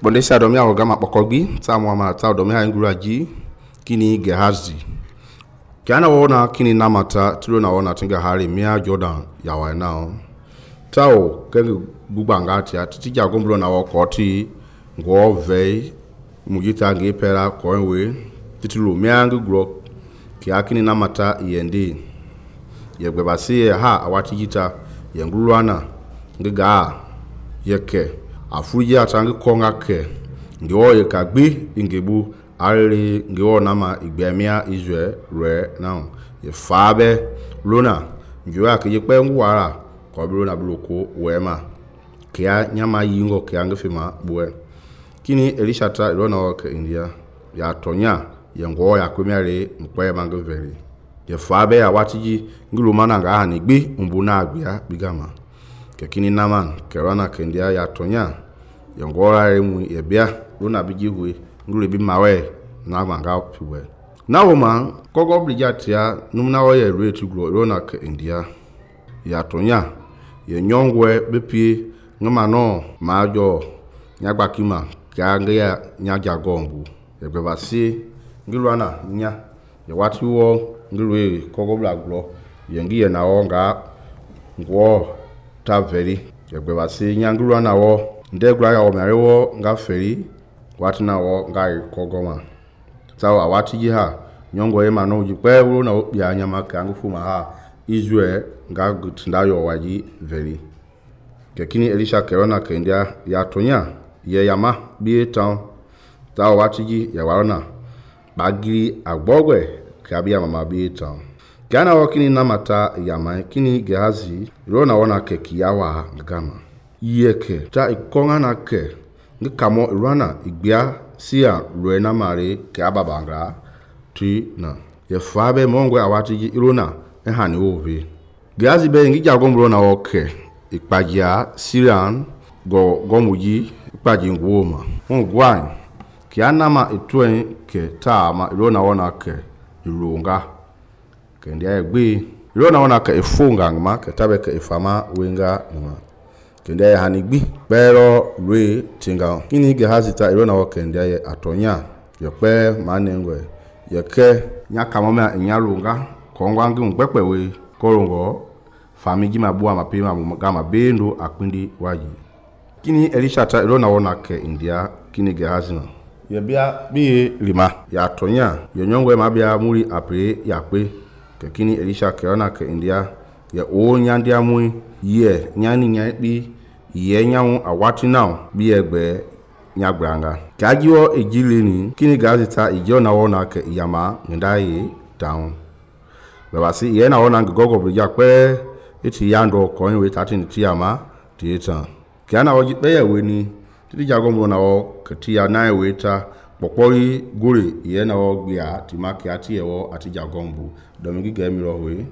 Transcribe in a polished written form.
Bondesha domia ogama pokogbi ta muama ta domia inguraji kini Gehazi. Kiana wona kini namata tulo na wona tinga hari mia Jordan yawa nao. Tao kengi bubangati ati jagomblo na wakoti ngo vei mujita nge pera koenwe titulo mia ngugro kia kini namata yendi yegbebasi ha awati jita yengulwana ngega yeke afuji atangi konga ke ngewo yekagbi ingebu ari ngewo nama igbemia Israel re now ye fabe lona ngewa ke yekpe ngwara ko biro na bloko wema kia nyama yingo kia ngefima bue kini Elishata lona ke India ya tonya yengo ya kwemiare mkwe mangeveri ye fabe awatiji ngulumana nga hanigbi umbuna agbia bigama kekini naman kerana kendia ya tonya yongora emu yebia lona bijiwe ngule bi mawe na manga piwe nawoma kogo blijatia numna oye retu gro lona ke India ya tonya ye nyongwe bepie ngama no majo nyagbakima kange ya nyagagombu yebebasi ngilwana nya ye watiwo ngilwe kogo blaglo yengi ye nawo nga ngwo taveri yegbebasi nyangulwa nawo ndegura ya omerewo nga feri watinawo nga kogoma sawa watiji ha nyongo ye mano jikwe wo na opia nyama kangu fuma ha Israel nga gutinda yo waji veri kekini Elisha kerona kendia ya tonya ye yama bi town sawa watiji ya warona bagiri agbogwe kabia mama bi town kana wakini namata yama kini Gehazi rona wana ke kiyawa ngama yeke ta ikonga na ke ngikamo rana igbia sia ruena mare ke ababanga ti na ye fabe mongwe awatiji irona ehani ovi Gehazi be ngi jagombro na oke ikpajia Syrian gomuji ikpaji ngwoma ngwan kianama itwen ke tama irona wana ke irunga kendia egbe irona wana ke ifunga ngma ke tabe ke ifama wenga ngma kendia hanigbi pero re tinga kini Gehazi ta irona wa kendia ye atonya yepe manengwe yeke nyakamoma nyalunga kongwangi ngpepewe korongo famiji mabua mapema gama bendo akpindi waji kini Elisha ta irona wana ke India kini Gehazi na yebia bi lima ya tonya yenyongwe mabia muri apre yakpe kekini Elisha kerana ke India ya o nyandia mui ye nyani nyabi ye nyawu awati now bi egbe nyagranga kajiwo ejileni kini Gazita ijona wona ke yama ndaye down babasi ye na wona gogo brija pe iti yando ko we 13 tiama theater kana woji pe weni tidi jagombo na wo ketia na weta pokpori gure ye na wo gbia timaki ati ewo ati jagombo domigi gemiro we